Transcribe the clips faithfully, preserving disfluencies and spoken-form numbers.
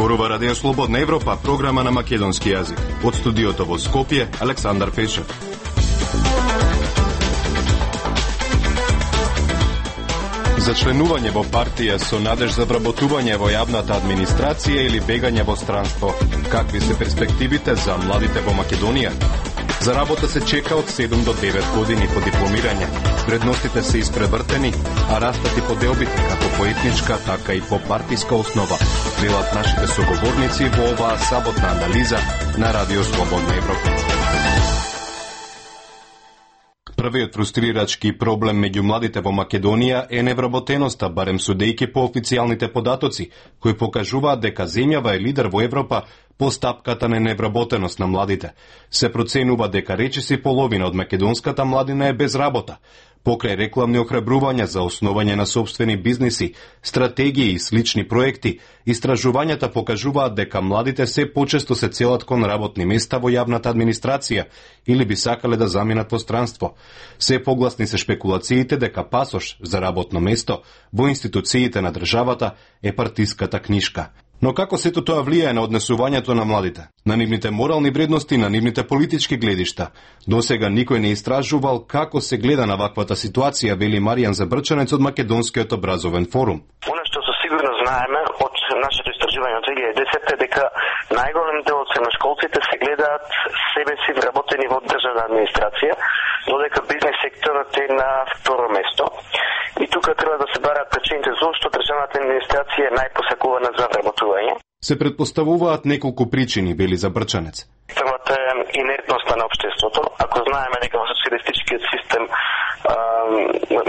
Зборува Радио Слободна Европа, програма на македонски јазик. Од студиото во Скопје, Александар Пешев. За членување во партија со надеж за вработување во јавната администрација или бегање во странство. Какви се перспективите за младите во Македонија? За работа се чека од седум до девет години по дипломирање. Вредностите се испревртени, а растат и поделбите како по етничка, така и по партиска основа. Велат нашите соговорници во оваа саботна анализа на Радио Слободна Европа. Првиот фрустрирачки проблем меѓу младите во Македонија е невработеноста, барем судејќи по официјалните податоци, кои покажуваат дека земјава е лидер во Европа по стапката на невработеност на младите. Се проценува дека речиси половина од македонската младина е без работа. Покрај рекламни охрабрувања за основање на собствени бизниси, стратегии и слични проекти, истражувањата покажуваат дека младите се почесто се целат кон работни места во јавната администрација или би сакале да заминат во странство. Се погласни се шпекулациите дека пасош за работно место во институциите на државата е партиската книшка. Но како сето тоа влијае на однесувањето на младите, на нивните морални вредности, на нивните политички гледишта? Досега никој не истражувал како се гледа на ваквата ситуација, вели Маријан Забрчанец од Македонскиот образовен форум. Оно што со сигурно знаеме од нашето истражување од две илјади и десета е дека најголем дел од средношколците се гледаат себе си вработени во државна администрација, додека бизнес секторот е на второ место. И тука треба да се бараат причините зошто државната администрација е најпосакувана за вработување. Се предпоставуваат неколку причини, вели Забрчанец. Првата е инертноста на општеството. Ако знаеме дека во социјалистичкиот систем а,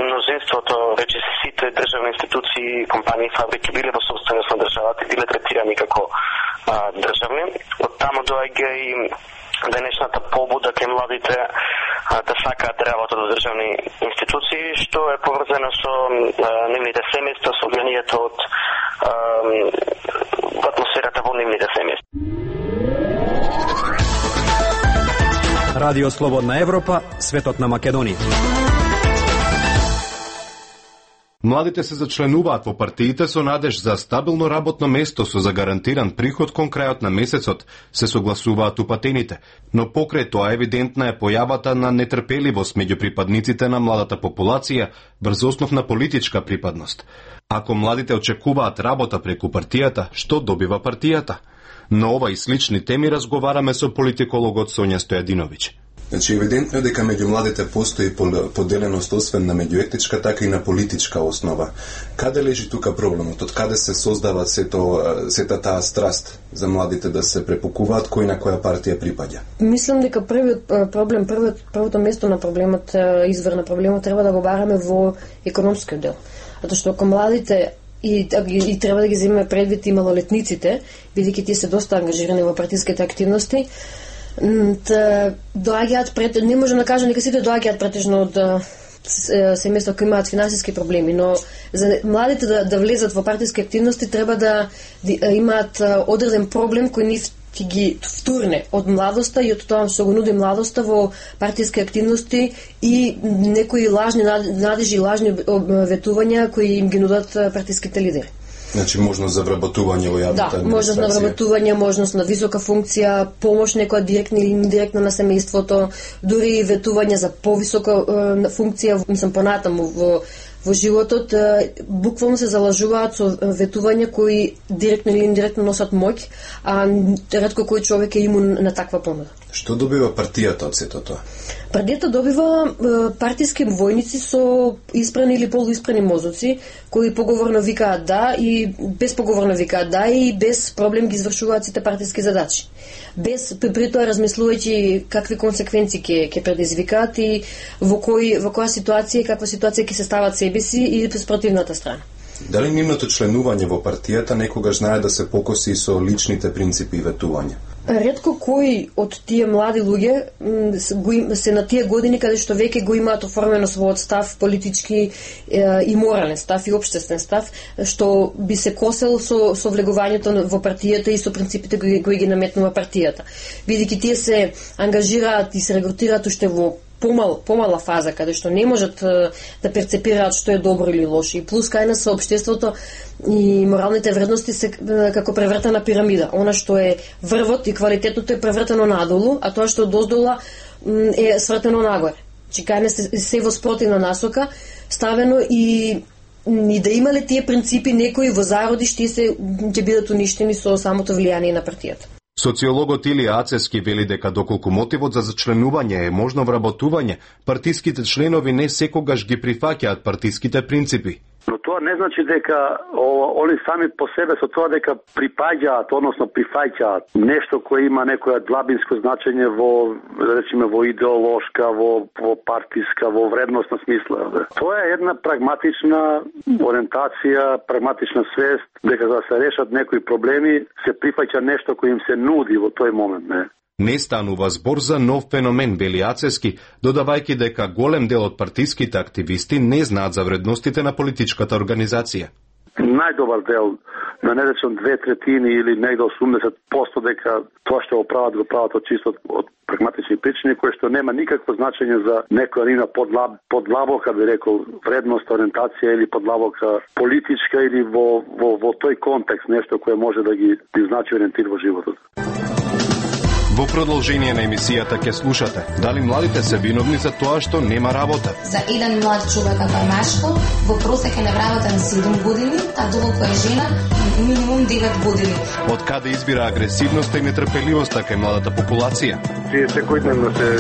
мнозинството, рече сите државни институции, компании, фабрики биле во собственост на државата и биле третирани како а, државни. Од таму доаѓа и денешната побуда кај младите а, да сакаат да работат во државни институции, што е поврзано со а, нивните семејства, со влијанието од а, атмосферата во нивните семејства. Радио Слободна Европа, светот на Македонија. Младите се зачленуваат во партиите со надеж за стабилно работно место со загарантиран приход кон крајот на месецот, се согласуваат упатените, но покрај тоа евидентна е појавата на нетрпеливост меѓу припадниците на младата популација врз основ на политичка припадност. Ако младите очекуваат работа преку партијата, што добива партијата? На ова и слични теми разговараме со политикологот Сонја Стојадиновиќ. Значи, евидентно е дека меѓу младите постои поделеност освен на меѓуетничка, така и на политичка основа. Каде лежи тука проблемот? Од каде се создава сето, сета таа страст за младите да се препокуваат кој на која партија припаѓа? Мислам дека првиот проблем, првиот, првото место на проблемот, извор на проблемот треба да го бараме во економскиот дел. Затоа што ако младите И, и треба да ги земеме предвид и малолетниците, бидејќи тие се доста ангажирани во партиските активности, доаѓаат пред, не можам да кажам дека сите доаѓаат претежно од семејства кои имаат финансиски проблеми, но за младите да, да влезат во партиски активности треба да, да имаат одреден проблем кој нив ќе ги втурне од младоста и од тоа што го нуди младоста во партиски активности и некои лажни надежи и лажни ветувања кои им ги нудат партиските лидери. Значи можност за вработување во јавната администрација. Да, можност на вработување, можност на висока функција, помош некоја директна или индиректна на семејството, дури ветување за повисока е, функција, мислам понатаму во во животот, буквално се залажуваат со ветувања кои директно или индиректно носат моќ, а ретко кој човек е имун на таква понуда. Што добива партијата од сето тоа? Партијата добива партиски војници со испрани или полуиспрани мозоци, кои поговорно викаат да и без поговорно викаат да и без проблем ги извршуваат сите партиски задачи. Без при тоа размислувајќи какви консеквенции ќе ќе предизвикаат и во кој во која ситуација и каква ситуација ќе се стават себе си и спротивната страна. Дали нивното членување во партијата некогаш знае да се покоси со личните принципи и ветувања? Ретко кои од тие млади луѓе се на тие години каде што веќе го имаат оформено својот став политички и морален став и општествен став, што би се косел со, со влегувањето во партијата и со принципите кои, кои ги наметнува партијата. Бидејќи тие се ангажираат и се регрутираат уште во помал, помала фаза, каде што не можат да перцепираат што е добро или лошо. И плюс кај нас општеството и моралните вредности се како превртена пирамида. Она што е врвот и квалитетното е превртено надолу, а тоа што доздола е свртено нагоре. Че кај нас се во спротивна насока ставено и и да имале тие принципи некои во зароди што се ќе бидат уништени со самото влијание на партијата. Социологот Илија Ацевски вели дека доколку мотивот за зачленување е можно вработување, партиските членови не секогаш ги прифаќаат партиските принципи. Но тоа не значи дека о, они сами по себе со тоа дека припаѓаат, односно прифаќаат нешто кое има некоја длабинско значење во, речиме, во идеолошка, во, во партиска, во вредностна смисла. Тоа е една прагматична ориентација, прагматична свест, дека за да се решат некои проблеми, се прифаќа нешто кој им се нуди во тој момент, не? Не станува збор за нов феномен, вели Ацевски, додавајќи дека голем дел од партиските активисти не знаат за вредностите на политичката организација. Најдобар дел, на не речем две третини или негде осумдесет проценти дека тоа што го прават, го прават од чисто од прагматични причини, кои што нема никакво значење за некоја нина подлаб, подлабока, би рекол, вредност, ориентација или подлабока политичка или во, во, во тој контекст, нешто кое може да ги, да значи ориентир во животот. Во продолжение на емисијата ќе слушате дали младите се виновни за тоа што нема работа. За еден млад човек како е машко, во просек е невработен седум години, а доколку е жена минимум девет години. Од каде избира агресивноста и нетрпеливоста кај младата популација? Тие секојдневно се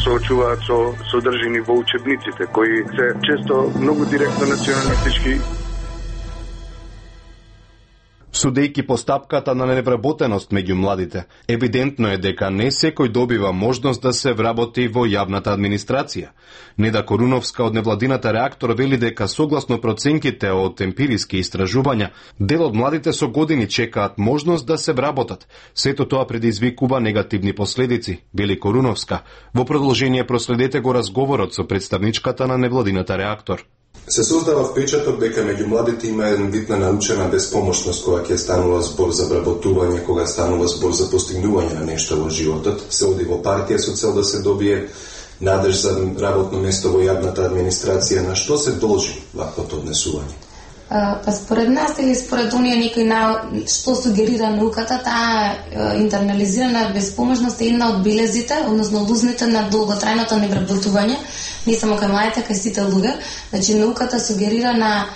соочуваат со содржини во учебниците, кои се често многу директно националистички. Судејќи по стапката на невработеност меѓу младите, евидентно е дека не секој добива можност да се вработи во јавната администрација. Неда Коруновска од невладината Реактор вели дека согласно проценките од емпириски истражувања, дел од младите со години чекаат можност да се вработат. Сето тоа предизвикува негативни последици, вели Коруновска. Во продолжение проследете го разговорот со представничката на невладината Реактор. Се создава впечаток дека меѓу младите има еден вид на научена безпомошност кога ќе станува збор за вработување, кога станува збор за постигнување на нешто во животот. Се оди во партија со цел да се добие надеж за работно место во јавната администрација. На што се должи ваквото однесување? Па според нас или според оние некои на што сугерира науката, таа интернализирана безпомошност е една од белезите, односно лузните на долготрајното невработување, не само кај младите, кај сите луѓе. Значи науката сугерира на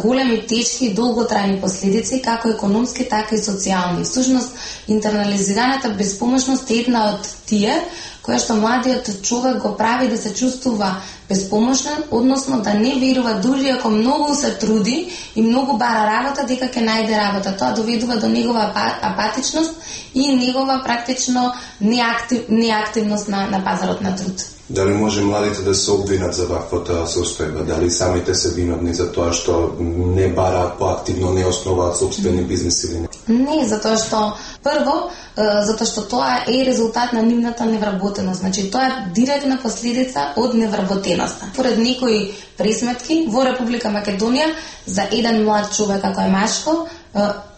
големи, тешки и долготрајни последици, како економски, така и социјални. Всушност, интернализираната безпомошност е една од тие која што младиот човек го прави да се чувствува безпомошен, односно да не верува дури ако многу се труди и многу бара работа, дека ќе најде работа. Тоа доведува до негова апатичност и негова практично неактив, неактивност на, на пазарот на труд. Дали може младите да се обвинат за ваквата состојба? Дали самите се виновни за тоа што не бараат поактивно, не основаат собствени бизнеси или не? Не, затоа што прво, затоа што тоа е резултат на нивната невработеност. Значи тоа е директна последица од невработеноста. Поред некои пресметки во Република Македонија за еден млад човек ако е машко,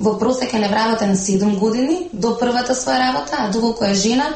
во просек е невработен седум години до првата своја работа, а доколку е жена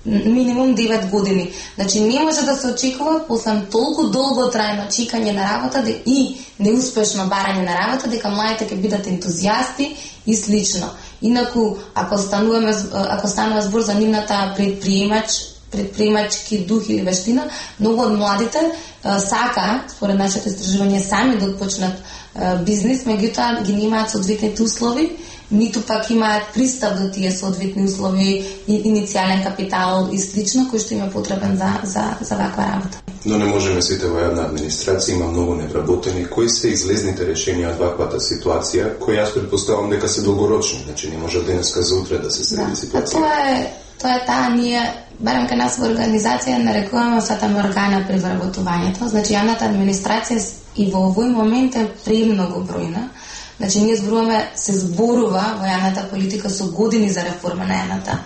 минимум девет години. Значи не може да се очекува после толку долго трајно чекање на работа и неуспешно барање на работа дека младите ќе бидат ентузијасти и слично. Инаку ако стануваме ако станува збор за нивната предприемач предприемачки дух или вештина, многу од младите а, сака, според нашите истражувања, сами да отпочнат а, бизнес, меѓутоа ги немаат соодветните услови, ниту пак имаат пристап до тие соодветни услови и иницијален капитал и слично, кој што им е потребен за, за, за ваква работа. Но не можеме сите во јавна администрација, има многу невработени. Кои се излезните решенија од ваквата ситуација, кои јас предпоставам дека се долгорочни, значи не може денеска за утре да се среди да, ситуација? Тоа е, тоа е таа ние, барем кај нас во организација нарекуваме сата органа при вработувањето. Значи јавната администрација и во овој момент е премногу бројна. Значи, ние зборуваме, се зборува во јавната политика со години за реформа на јавната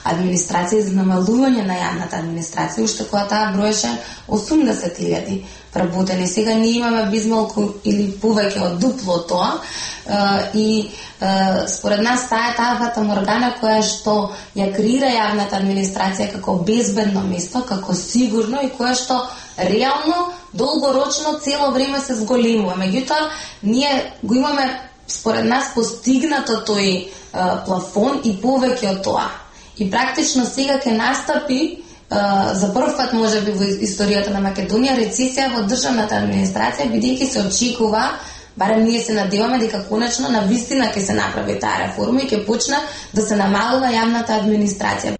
администрација и за намалување на јавната администрација, уште кога таа броеше осумдесет илјади вработени. Сега ние имаме безмалку или повеќе од дупло тоа и според нас таа е таа фатаморгана која што ја креира јавната администрација како безбедно место, како сигурно и која што реално, долгорочно, цело време се зголемува. Меѓутоа, ние го имаме, според нас, постигнато тој а, плафон и повеќе од тоа. И практично сега ќе настапи, а, за прв пат, може би, во историјата на Македонија, рецесија во државната администрација, бидејќи се очекува, барем ние се надеваме дека конечно на вистина ќе се направи таа реформа и ќе почне да се намалува јавната администрација.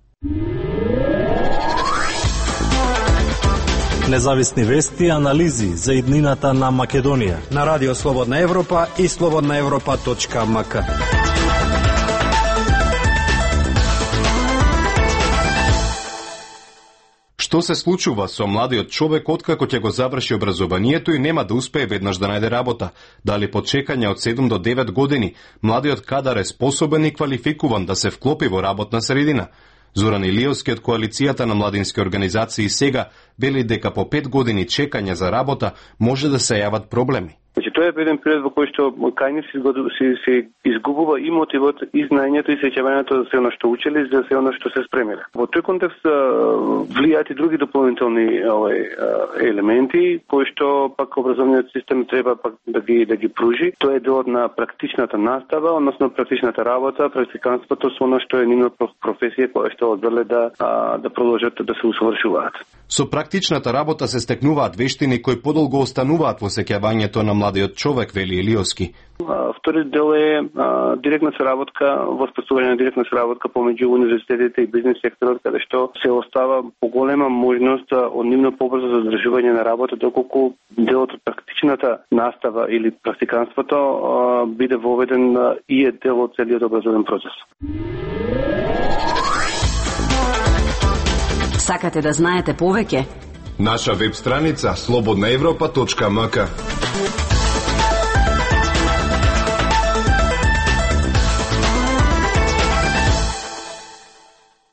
Независни вести и анализи за иднината на Македонија на Радио Слободна Европа и слободна европа точка ем ка. Што се случува со младиот човек откако ќе го заврши образованието и нема да успее веднаш да најде работа? Дали по чекање од седум до девет години младиот кадар е способен и квалификуван да се вклопи во работна средина? Зоран Илиевски од коалицијата на младински организации сега вели дека по пет години чекање за работа може да се јават проблеми. Значи, тоа е еден период во кој што кај нив се, се, се изгубува и мотивот, и знаењето, и сеќавањето за се оно што учеле, за се оно што се спремиле. Во тој контекст влијаат и други дополнителни овој, елементи, кои што пак образовниот систем треба пак да ги да ги пружи. Тоа е делот на практичната настава, односно практичната работа, практиканството со оно што е нивна професија која што одбеле да да продолжат да се усовршуваат. Со практичната работа се стекнуваат вештини кои подолго остануваат во сеќавањето на младиот човек, вели Илиевски. Вториот дел е а, директна соработка, воспоставување на директна соработка помеѓу универзитетите и бизнес секторот, каде што се остава поголема можност од нивно побрзо задржување на работа, доколку делот од практичната настава или практиканството а, биде воведен а, и е дел од целиот образовен процес. Сакате да знаете повеќе? Наша веб страница слободна европа точка ем ка.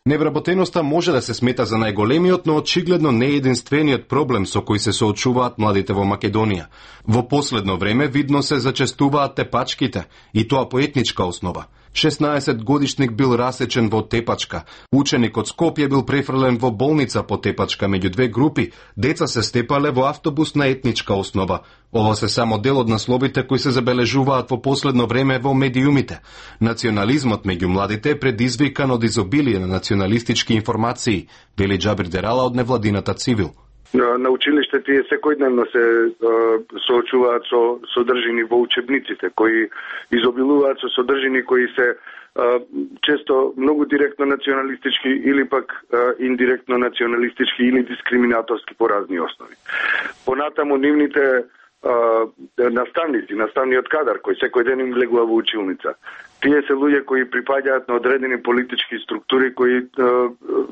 Невработеноста може да се смета за најголемиот, но очигледно не е единствениот проблем со кој се соочуваат младите во Македонија. Во последно време видно се зачестуваат тепачките, и тоа по етничка основа. шеснаесет годишник бил расечен во Тепачка. Ученик од Скопје бил префрлен во болница по Тепачка меѓу две групи. Деца се степале во автобус на етничка основа. Ова се само дел од насловите кои се забележуваат во последно време во медиумите. Национализмот меѓу младите е предизвикан од изобилие на националистички информации, вели Џабир Дерала од невладината Цивил. На, на училиште тие секојдневно се е, соочуваат со содржини во учебниците, кои изобилуваат со содржини кои се е, често многу директно националистички или пак е, индиректно националистички или дискриминаторски по разни основи. Понатаму нивните е, наставници, наставниот кадар кој секој ден им влегува во училница. Тие се луѓе кои припаѓаат на одредени политички структури кои е,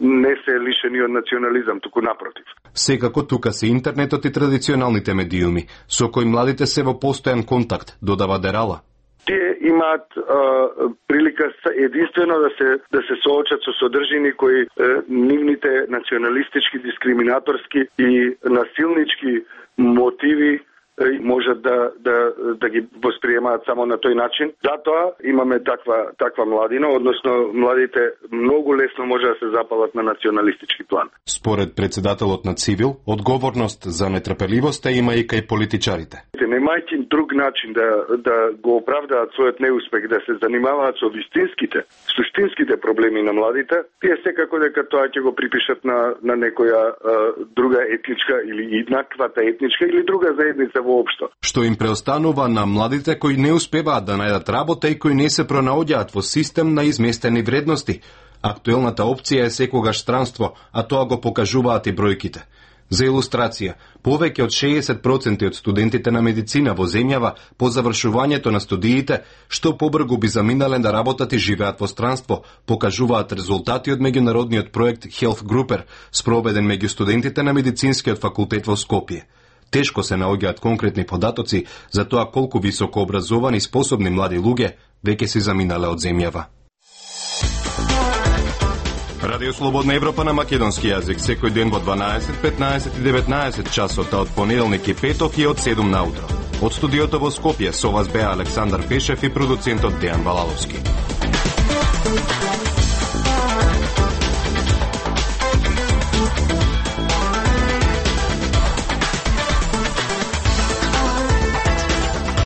не се лишени од национализам, туку напротив. Секако тука се интернетот и традиционалните медиуми, со кои младите се во постојан контакт, додава Дерала. Тие имаат е, прилика единствено да се да се соочат со содржини кои е, нивните националистички, дискриминаторски и насилнички мотиви можат да, да, да ги восприемаат само на тој начин. Затоа имаме таква, таква младина, односно младите многу лесно може да се запалат на националистички план. Според председателот на Цивил, одговорност за нетрпеливоста има и кај политичарите. Немајќи друг начин да, да го оправдаат својот неуспех, да се занимаваат со вистинските, суштинските проблеми на младите, тие секако дека тоа ќе го припишат на, на некоја а, друга етничка или еднаквата етничка или друга заедница воопшто. Што им преостанува на младите кои не успеваат да најдат работа и кои не се пронаоѓаат во систем на изместени вредности. Актуелната опција е секогаш странство, а тоа го покажуваат и бројките. За илустрација, повеќе од шеесет проценти од студентите на медицина во земјава по завршувањето на студиите, што побргу би заминале да работат и живеат во странство, покажуваат резултати од меѓународниот проект Health Grouper, спроведен меѓу студентите на медицинскиот факултет во Скопје. Тешко се наоѓаат конкретни податоци за тоа колку високо образовани способни млади луѓе веќе се заминале од земјава. Радио Слободна Европа на македонски јазик секој ден во дванаесет, петнаесет и деветнаесет часот, од понеделник и петок и од седум наутро. Од студиото во Скопје со вас беа Александар Пешев и продуцентот Дејан Балаловски.